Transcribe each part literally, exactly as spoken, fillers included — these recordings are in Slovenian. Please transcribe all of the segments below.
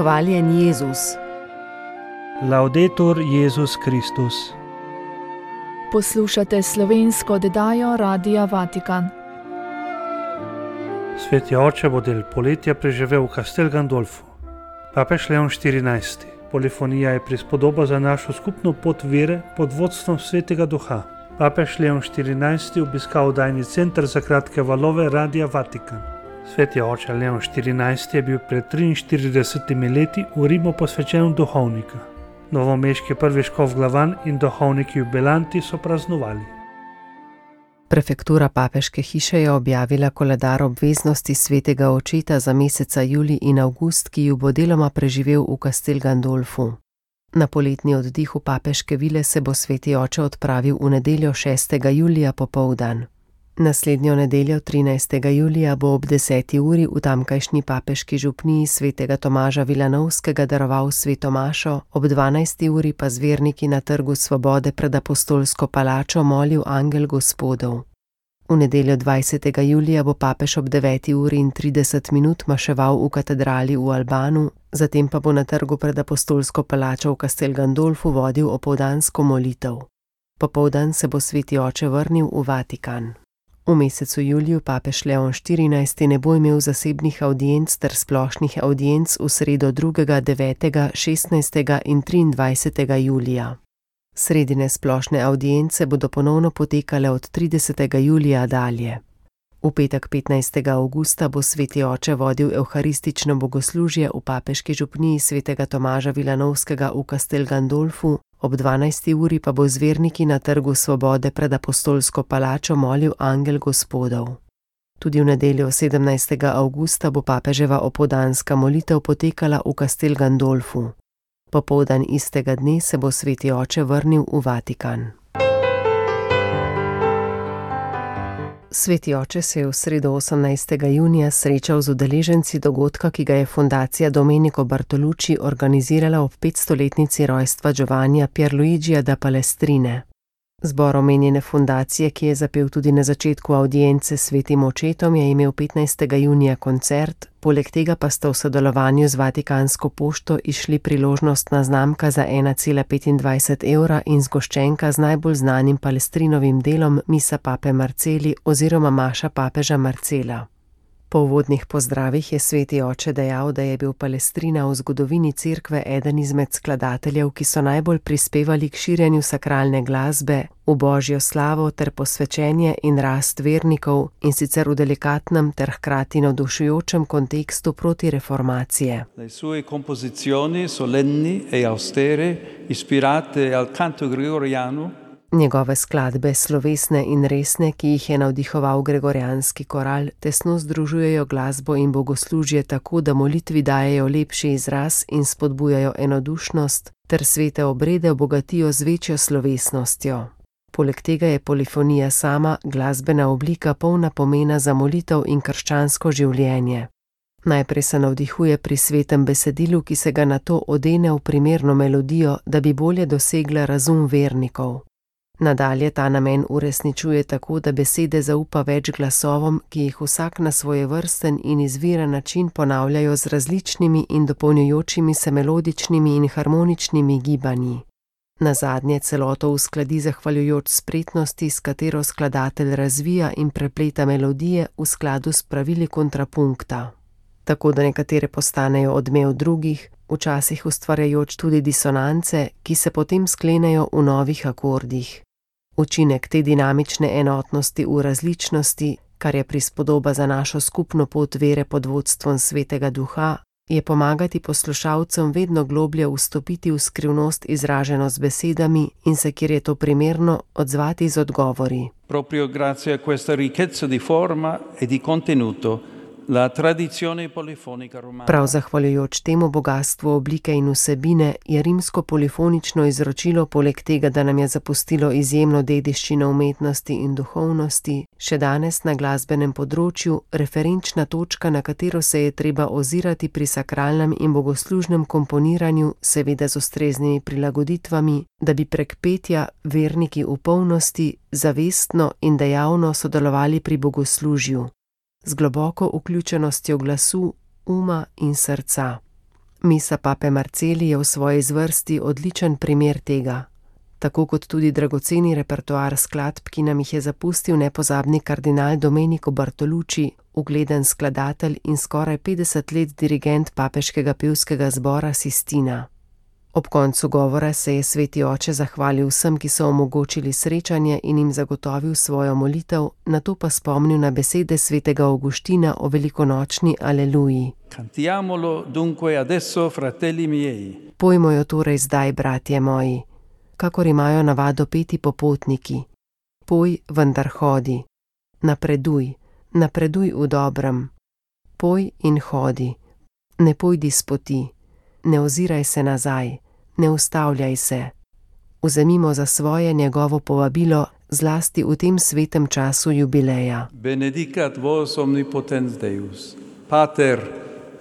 Hvaljen Jezus. Laudetur Jezus Kristus. Poslušate slovensko oddajo Radia Vatikan. Sveti oče bo del poletja preživel v Castel Gandolfu. Papež Leon štirinajsti. Polifonija je prispodoba za našo skupno pot vere pod vodstvom Svetega Duha. Papež Leon štirinajsti obiskal oddajni center za kratke valove Radia Vatikan. Sveti oče Leon štirinajsti je bil pred triinštiridesetimi leti v Rimu posvečen duhovnika. Novomeški prvi škof Glavan in duhovniki jubilanti so praznovali. Prefektura papeške hiše je objavila koledar obveznosti svetega očeta za meseca julij in avgust, ki ju bo deloma preživel v Castel Gandolfu. Na poletni oddih v papeške vile se bo sveti oče odpravil v nedeljo šestega julija popoldan. Naslednjo nedeljo trinajstega julija bo ob deseti uri v tamkajšnji papeški župniji svetega Tomaža Vilanovskega daroval sveto mašo, ob dvanajsti uri pa z verniki na Trgu svobode pred apostolsko palačo molil angel Gospodov. V nedeljo dvajsetega julija bo papež ob deveti uri in trideset minut maševal v katedrali v Albanu, zatem pa bo na trgu pred apostolsko palačo v Castel Gandolfu vodil opoldansko molitev. Popoldan se bo sveti oče vrnil v Vatikan. V mesecu juliju papež Leon štirinajsti ne bo imel zasebnih avdienc ter splošnih avdienc v sredo drugega, devetega, šestnajstega in triindvajsetega julija. Sredine splošne avdience bodo ponovno potekale od tridesetega julija dalje. V petek petnajstega avgusta bo sveti oče vodil evharistično bogoslužje v papeški župniji svetega Tomaža Vilanovskega v Castel Gandolfu, ob dvanajsti uri pa bo z verniki na Trgu svobode pred apostolsko palačo molil angel Gospodov. Tudi v nedeljo sedemnajstega avgusta bo papeževa opoldanska molitev potekala v Castel Gandolfu. Popoldan istega dne se bo sveti oče vrnil v Vatikan. Sveti oče se je v sredo osemnajstega junija srečal z udeleženci dogodka, ki ga je fundacija Domenico Bartolucci organizirala ob petstoletnici rojstva Giovannija Pierluigija da Palestrine. Zbor omenjene fundacije, ki je zapel tudi na začetku avdience s svetim očetom, je imel petnajstega junija koncert, poleg tega pa sta v sodelovanju z Vatikansko pošto išli priložnostna znamka za ena cela petindvajset evra in zgoščenka z najbolj znanim Palestrinovim delom Misa pape Marceli oziroma Maša papeža Marcela. Po uvodnih pozdravih je sveti oče dejal, da je bil Palestrina v zgodovini cerkve eden izmed skladateljev, ki so najbolj prispevali k širjenju sakralne glasbe, v božjo slavo ter posvečenje in rast vernikov, in sicer v delikatnem ter hkrati navdušujočem kontekstu protireformacije. Le sue composizioni solenni e austere, ispirate al canto gregoriano, Njegove skladbe, slovesne in resne, ki jih je navdihoval gregorijanski koral, tesno združujejo glasbo in bogoslužje tako, da molitvi dajejo lepši izraz in spodbujajo enodušnost, ter svete obrede obogatijo z večjo slovesnostjo. Poleg tega je polifonija sama glasbena oblika polna pomena za molitev in krščansko življenje. Najprej se navdihuje pri svetem besedilu, ki se ga nato odene v primerno melodijo, da bi bolje dosegla razum vernikov. Nadalje ta namen uresničuje tako, da besede zaupa več glasovom, ki jih vsak na svojevrsten in izviren način ponavljajo z različnimi in dopolnjujočimi se melodičnimi in harmoničnimi gibanji. Nazadnje celoto uskladi zahvaljujoč spretnosti, s katero skladatelj razvija in prepleta melodije v skladu s pravili kontrapunkta. Tako da nekatere postanejo odmev drugih, včasih ustvarjajoč tudi disonance, ki se potem sklenejo v novih akordih. Učinek te dinamične enotnosti v različnosti, kar je prispodoba za našo skupno pot vere pod vodstvom Svetega Duha, je pomagati poslušalcem vedno globlje vstopiti v skrivnost izraženo z besedami in se, kjer je to primerno, odzvati z odgovori. Proprio grazie a questa ricchezza di forma e di contenuto, la tradizione polifonica romana. Prav zahvaljujoč temu bogastvu oblike in vsebine je rimsko polifonično izročilo poleg tega, da nam je zapustilo izjemno dediščino umetnosti in duhovnosti, še danes na glasbenem področju referenčna točka, na katero se je treba ozirati pri sakralnem in bogoslužnem komponiranju, seveda z ustreznimi prilagoditvami, da bi prek petja verniki v polnosti, zavestno in dejavno sodelovali pri bogoslužju, z globoko vključenostjo glasu, uma in srca. Misa pape Marceli je v svoji zvrsti odličen primer tega. Tako kot tudi dragoceni repertoar skladb, ki nam jih je zapustil nepozabni kardinal Domenico Bartolucci, ugleden skladatelj in skoraj petdeset let dirigent papeškega pevskega zbora Sistina. Ob koncu govora se je sveti oče zahvalil vsem, ki so omogočili srečanje in jim zagotovil svojo molitev, nato pa spomnil na besede svetega Avguština o velikonočni aleluji. Cantiamolo dunque adesso, fratelli miei. Pojmo jo torej zdaj, bratje moji, kakor imajo navado peti popotniki. Poj, vendar hodi. Napreduj, napreduj v dobrem. Poj in hodi. Ne pojdi s poti. Ne oziraj se nazaj, ne ustavljaj se. Vzemimo za svoje njegovo povabilo, zlasti v tem svetem času jubileja. Benedicat vos omnipotens Deus, Pater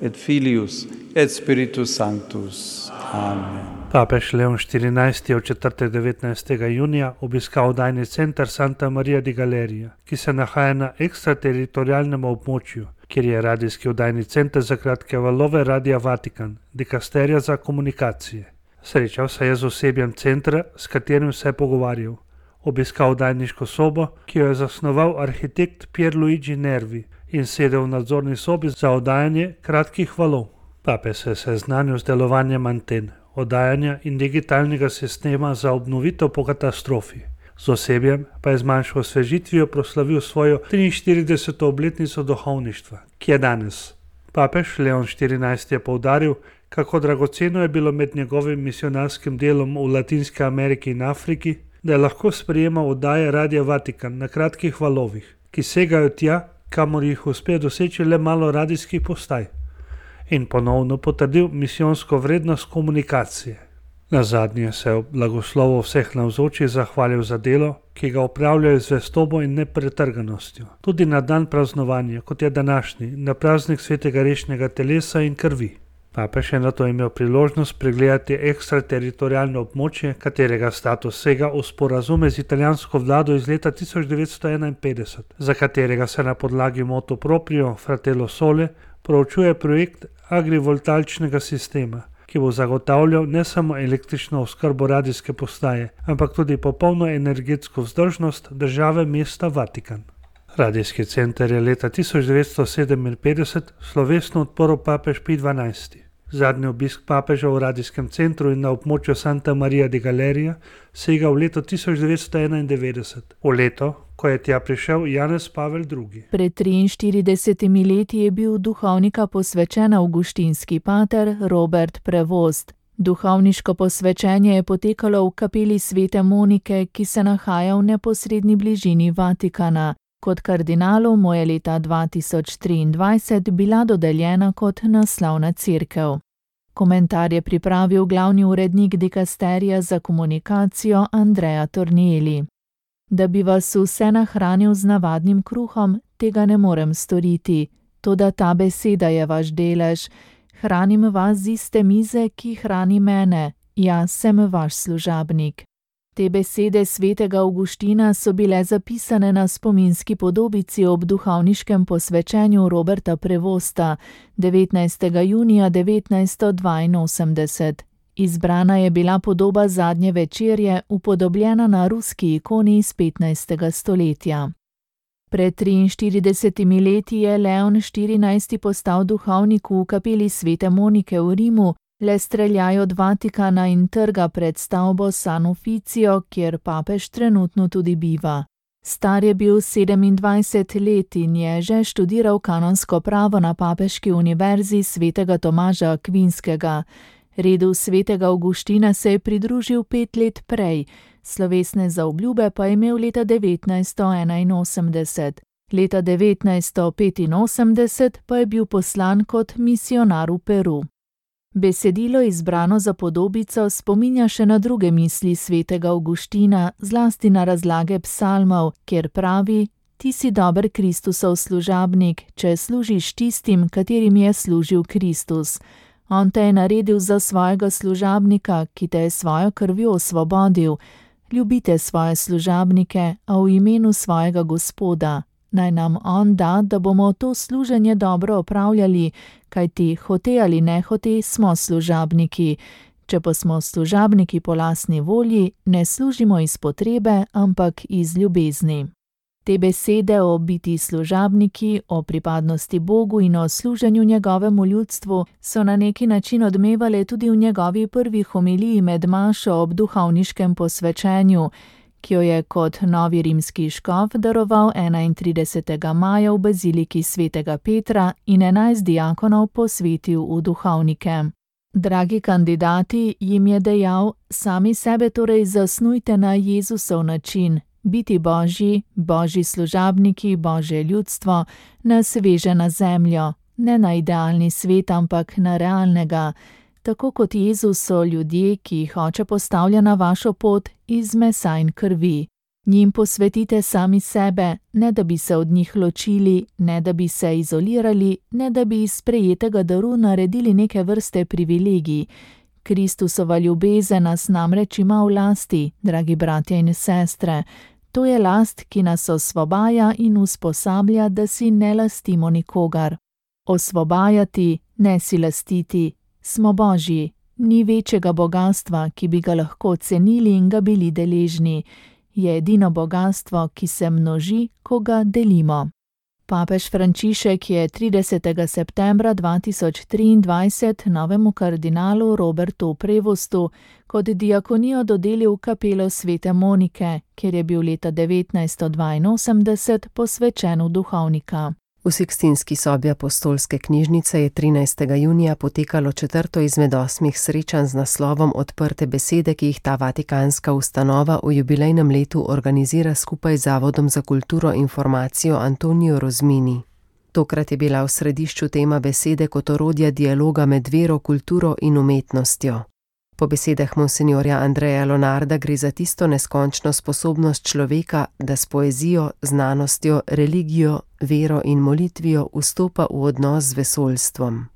et Filius et Spiritus Sanctus. Amen. Papež Leon štirinajsti je v četrtek devetnajstega junija obiskal oddajni center Santa Maria di Galeria, ki se nahaja na ekstrateritorialnem območju, kjer je radijski oddajni center za kratke valove Radia Vatikan, dikasterija za komunikacije. Srečal se je z osebjem centra, s katerim se je pogovarjal. Obiskal oddajniško sobo, ki jo je zasnoval arhitekt Pierluigi Nervi, in sedel v nadzorni sobi za oddajanje kratkih valov. Papež se je seznanil z delovanjem anten, oddajanja in digitalnega sistema za obnovitev po katastrofi. Z osebjem pa je z manjšo osvežitvijo proslavil svojo triinštirideseto obletnico duhovništva, ki je danes. Papež Leon štirinajsti je poudaril, kako dragoceno je bilo med njegovim misionarskim delom v Latinski Ameriki in Afriki, da je lahko sprejemal oddaje Radia Vatikan na kratkih valovih, ki segajo tja, kamor jih uspe doseči le malo radijskih postaj, in ponovno potrdil misijonsko vrednost komunikacije. Nazadnje se je ob blagoslovu vseh navzočih zahvalil za delo, ki ga opravljajo z zvestobo in nepretrganostjo. Tudi na dan praznovanja, kot je današnji, na praznik svetega rešnega telesa in krvi. Papež je nato imel priložnost pregledati ekstrateritorialno območje, katerega status sega v sporazume z italijansko vlado iz leta tisoč devetsto enainpetdeset, za katerega se na podlagi motu proprio Fratello Sole proučuje projekt agrivoltaičnega sistema, ki bo zagotavljal ne samo električno oskrbo radijske postaje, ampak tudi popolno energetsko vzdržnost države mesta Vatikan. Radijski center je leta tisoč devetsto sedeminpetdeset slovesno odprl papež Pij dvanajsti. Zadnji obisk papeža v radijskem centru in na območju Santa Maria di Galeria sega v leto tisoč devetsto enaindevetdeset, v leto, ko je tja prišel Janez Pavel drugi. Pred triinštiridesetimi leti je bil duhovnika posvečen avguštinski pater Robert Prevost. Duhovniško posvečenje je potekalo v kapeli svete Monike, ki se nahaja v neposredni bližini Vatikana. Kot kardinalu mu je leta dva tisoč triindvajset bila dodeljena kot naslovna cerkev. Komentar je pripravil glavni urednik dikasterija za komunikacijo Andrea Tornieli. Da bi vas vse nahranil z navadnim kruhom, tega ne morem storiti, toda ta beseda je vaš delež. Hranim vas z iste mize, ki hrani mene, jaz sem vaš služabnik. Te besede svetega Avguština so bile zapisane na spominski podobici ob duhovniškem posvečenju Roberta Prevosta devetnajstega junija devetnajststo dvainosemdeset. Izbrana je bila podoba zadnje večerje, upodobljena na ruski ikoni iz petnajstega stoletja. Pred triinštiridesetimi leti je Leon štirinajsti postal duhovnik v kapeli svete Monike v Rimu, le streljaj od Vatikana in trga pred stavbo San Ufficio, kjer papež trenutno tudi biva. Star je bil sedemindvajset let in je že študiral kanonsko pravo na papeški univerzi svetega Tomaža Akvinskega. Redu svetega Avguština se je pridružil pet let prej, slovesne zaobljube pa je imel leta devetnajststo enainosemdeset. Leta devetnajststo petinosemdeset pa je bil poslan kot misionar v Peru. Besedilo izbrano za podobico spominja še na druge misli svetega Avguština, zlasti na razlage psalmov, kjer pravi: Ti si dober Kristusov služabnik, če služiš tistim, katerim je služil Kristus. On te je naredil za svojega služabnika, ki te je svojo krvjo osvobodil. Ljubite svoje služabnike, a v imenu svojega Gospoda. Naj nam on da, da bomo to služenje dobro opravljali, kajti hote ali nehote smo služabniki. Če pa smo služabniki po lastni volji, ne služimo iz potrebe, ampak iz ljubezni. Te besede o biti služabniki, o pripadnosti Bogu in o služenju njegovemu ljudstvu so na neki način odmevale tudi v njegovi prvi homiliji med mašo ob duhovniškem posvečenju, ki jo je kot novi rimski škof daroval enaintridesetega maja v baziliki svetega Petra in enajst diakonov posvetil v duhovnike. Dragi kandidati, jim je dejal, sami sebe torej zasnujte na Jezusov način, biti Božji, Božji služabniki, Božje ljudstvo, nas veže na zemljo, ne na idealni svet, ampak na realnega. Tako kot Jezus so ljudje, ki jih Oče postavlja na vašo pot iz mesa in krvi. Njim posvetite sami sebe, ne da bi se od njih ločili, ne da bi se izolirali, ne da bi iz sprejetega daru naredili neke vrste privilegij. Kristusova ljubezen nas namreč ima v lasti, dragi bratje in sestre. To je last, ki nas osvobaja in usposablja, da si ne lastimo nikogar. Osvobajati, ne si lastiti. Smo Božji, ni večjega bogastva, ki bi ga lahko cenili in ga bili deležni. Je edino bogastvo, ki se množi, ko ga delimo. Papež Frančišek je tridesetega septembra dva tisoč triindvajset novemu kardinalu Robertu Prevostu kot diakonijo dodelil kapelo svete Monike, kjer je bil leta devetnajststo dvainosemdeset posvečen v duhovnika. V Sikstinski sobi apostolske knjižnice je trinajstega junija potekalo četrto izmed osmih srečanj z naslovom Odprte besede, ki jih ta vatikanska ustanova v jubilejnem letu organizira skupaj z Zavodom za kulturo in informacijo Antonijo Rozmini. Tokrat je bila v središču tema besede kot orodja dialoga med vero, kulturo in umetnostjo. Po besedah monsinjorja Andreja Lonarda gre za tisto neskončno sposobnost človeka, da s poezijo, znanostjo, religijo, vero in molitvijo vstopa v odnos z vesoljstvom.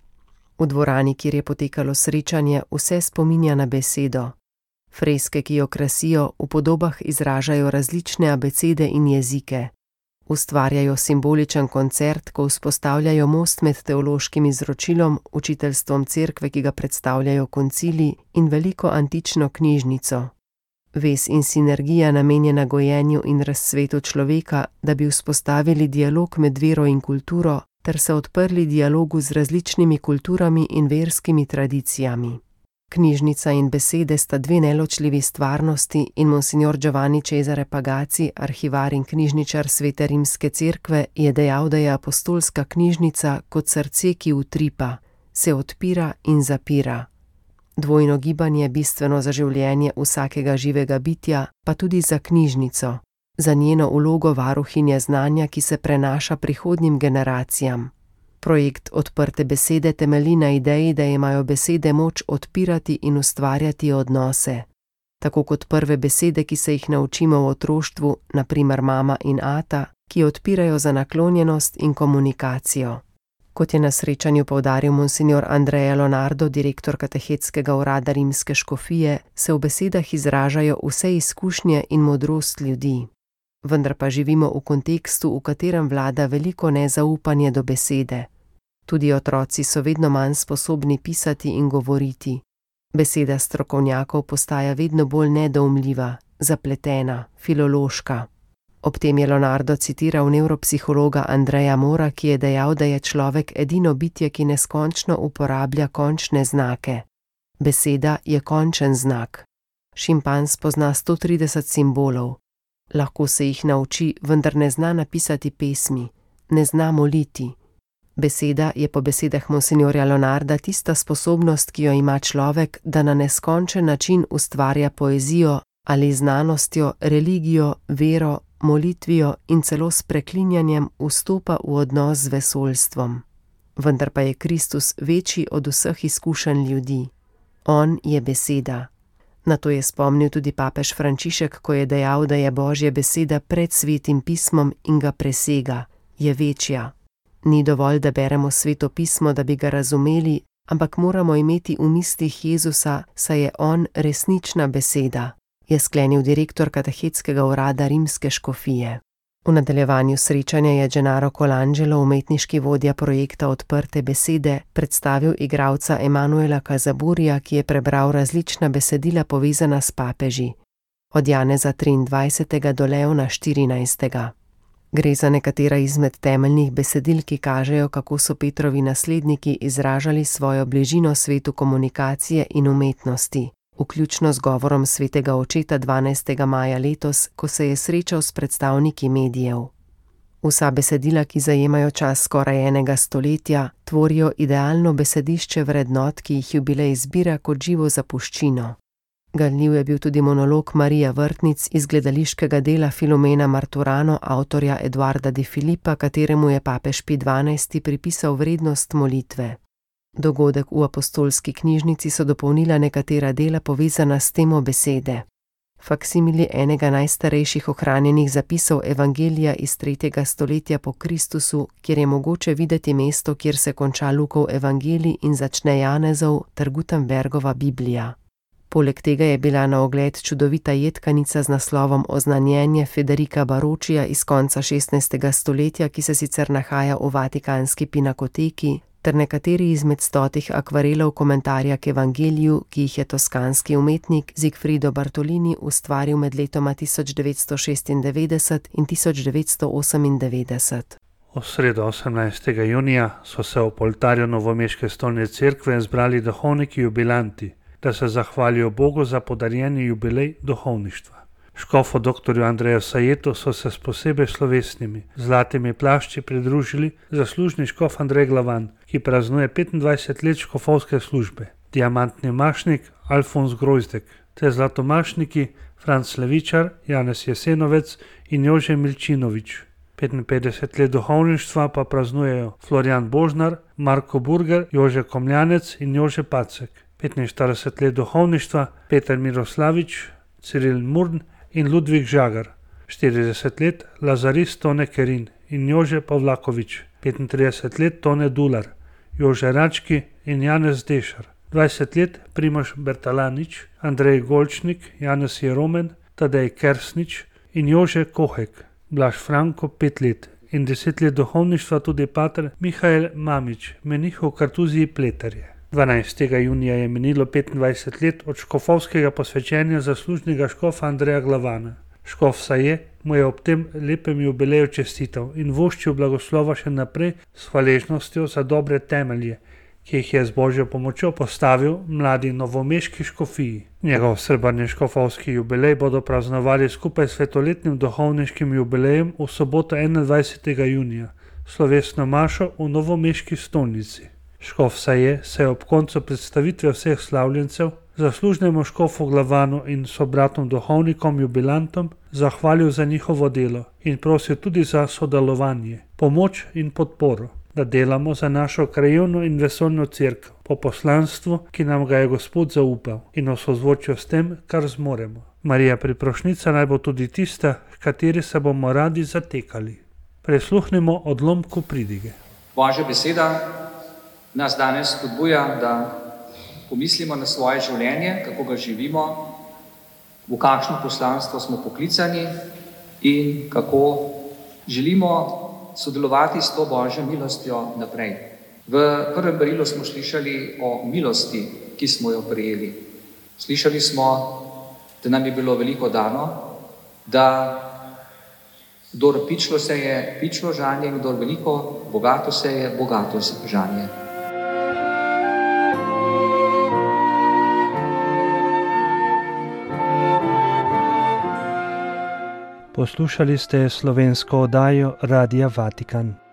V dvorani, kjer je potekalo srečanje, vse spominja na besedo. Freske, ki jo krasijo, v podobah izražajo različne abecede in jezike. Ustvarjajo simboličen koncert, ko vzpostavljajo most med teološkim izročilom, učiteljstvom cerkve, ki ga predstavljajo koncili, in veliko antično knjižnico. Vez in sinergija namenjena gojenju in razcvetu človeka, da bi vzpostavili dialog med vero in kulturo, ter se odprli dialogu z različnimi kulturami in verskimi tradicijami. Knjižnica in besede sta dve neločljivi stvarnosti in monsignor Giovanni Cesare Pagazzi, arhivar in knjižničar Svete rimske cerkve, je dejal, da je apostolska knjižnica kot srce, ki utripa, se odpira in zapira. Dvojno gibanje je bistveno za življenje vsakega živega bitja, pa tudi za knjižnico, za njeno vlogo varuhinje znanja, ki se prenaša prihodnjim generacijam. Projekt Odprte besede temelji na ideji, da imajo besede moč odpirati in ustvarjati odnose. Tako kot prve besede, ki se jih naučimo v otroštvu, na primer mama in ata, ki odpirajo za naklonjenost in komunikacijo. Kot je na srečanju poudaril monsignor Andrea Lonardo, direktor katehetskega urada rimske škofije, se v besedah izražajo vse izkušnje in modrost ljudi. Vendar pa živimo v kontekstu, v katerem vlada veliko nezaupanje do besede. Tudi otroci so vedno manj sposobni pisati in govoriti. Beseda strokovnjakov postaja vedno bolj nedoumljiva, zapletena, filološka. Ob tem je Lonardo citiral nevropsihologa Andreja Mora, ki je dejal, da je človek edino bitje, ki neskončno uporablja končne znake. Beseda je končen znak. Šimpanz pozna sto trideset simbolov. Lahko se jih nauči, vendar ne zna napisati pesmi, ne zna moliti. Beseda je po besedah monsinjorja Lonarda tista sposobnost, ki jo ima človek, da na neskončen način ustvarja poezijo ali znanostjo, religijo, vero, molitvijo in celo s preklinjanjem vstopa v odnos z vesoljstvom. Vendar pa je Kristus večji od vseh izkušenj ljudi. On je beseda. Na to je spomnil tudi papež Frančišek, ko je dejal, da je Božja beseda pred svetim pismom in ga presega, je večja. Ni dovolj, da beremo sveto pismo, da bi ga razumeli, ampak moramo imeti v mislih Jezusa, saj je on resnična beseda, je sklenil direktor katehetskega urada rimske škofije. V nadaljevanju srečanja je Gennaro Colangelo, umetniški vodja projekta Odprte besede, predstavil igralca Emanuela Casaburija, ki je prebral različna besedila povezana s papeži. Od Janeza triindvajsetega do Leona štirinajstega. Gre za nekatera izmed temeljnih besedil, ki kažejo, kako so Petrovi nasledniki izražali svojo bližino svetu komunikacije in umetnosti, vključno z govorom svetega očeta dvanajstega maja letos, ko se je srečal s predstavniki medijev. Vsa besedila, ki zajemajo čas skoraj enega stoletja, tvorijo idealno besedišče vrednot, ki jih jubilej zbira kot živo zapuščino. Ganljiv je bil tudi monolog Marija Vrtnic iz gledališkega dela Filomena Marturano, avtorja Eduarda de Filipa, kateremu je papež Pij dvanajsti pripisal vrednost molitve. Dogodek v apostolski knjižnici so dopolnila nekatera dela povezana s temo besede. Faksimili enega najstarejših ohranjenih zapisov Evangelija iz tretjega stoletja po Kristusu, kjer je mogoče videti mesto, kjer se konča Lukov evangelij in začne Janezov ter Gutenbergova Biblija. Poleg tega je bila na ogled čudovita jedkanica z naslovom Oznanjenje Federica Baročija iz konca šestnajstega stoletja, ki se sicer nahaja v Vatikanski pinakoteki, ter nekateri izmed stotih akvarelov komentarja k evangeliju, ki jih je toskanski umetnik Zigfrido Bartolini ustvaril med letoma tisoč devetsto šestindevetdeset in tisoč devetsto osemindevetdeset. V sredo osemnajstega junija so se v oltarju novomeške stolne cerkve zbrali duhovniki jubilanti, da se zahvalijo Bogu za podarjeni jubilej duhovništva. Škofu doktorju Andreju Sajetu so se s posebej slovesnimi zlatimi plašči pridružili zaslužni škof Andrej Glavan, ki praznuje petindvajset let škofovske službe, diamantni mašnik Alfons Grozdek, te zlatomašniki Franc Levičar, Janez Jesenovec in Jože Milčinovič. petinpetdeset let duhovništva pa praznujejo Florjan Božnar, Marko Burger, Jože Komljanec in Jože Pacek. petinštirideset let duhovništva Peter Miroslavič, Ciril Murn in Ludvik Žagar. štirideset let Lazarist Tone Kerin in Jože Pavlakovič. petintrideset let Tone Dular, Jože Rački in Janez Dešar. dvajset let Primož Bertalanič, Andrej Golčnik, Janez Jeromen, Tadej Kersnič in Jože Kohek. Blaž Franko pet let in deset let duhovništva tudi pater Mihael Mamič, menih v Kartuziji Pleterje. dvanajstega junija je minilo petindvajset let od škofovskega posvečenja zaslužnega škofa Andreja Glavana. Škof Saje mu je ob tem lepem jubileju čestital in voščil blagoslova še naprej s hvaležnostjo za dobre temelje, ki jih je z Božjo pomočjo postavil mladi novomeški škofiji. Njegov srebrni škofovski jubilej bodo praznovali skupaj s svetoletnim duhovniškim jubilejem v soboto enaindvajsetega junija, slovesno mašo v novomeški stolnici. Škof Saje se je ob koncu predstavitve vseh slavljencev zaslužnemu škofu Glavanu in sobratom duhovnikom jubilantom zahvalil za njihovo delo in prosil tudi za sodelovanje, pomoč in podporo, da delamo za našo krajevno in vesoljno cerkev po poslanstvu, ki nam ga je Gospod zaupal, in v sozvočju s tem, kar zmoremo. Marija Priprošnica naj bo tudi tista, kateri se bomo radi zatekali. Prisluhnimo odlomku pridige. Božja beseda nas danes spodbuja, da pomislimo na svoje življenje, kako ga živimo, v kakšno poslanstvo smo poklicani in kako želimo sodelovati s to Božjo milostjo naprej. V prvem berilu smo slišali o milosti, ki smo jo prejeli. Slišali smo, da nam je bilo veliko dano, da kdor pičlo seje, pičlo žanje, in kdor veliko bogato seje, bogato žanje. Poslušali ste slovensko oddajo Radia Vatikan.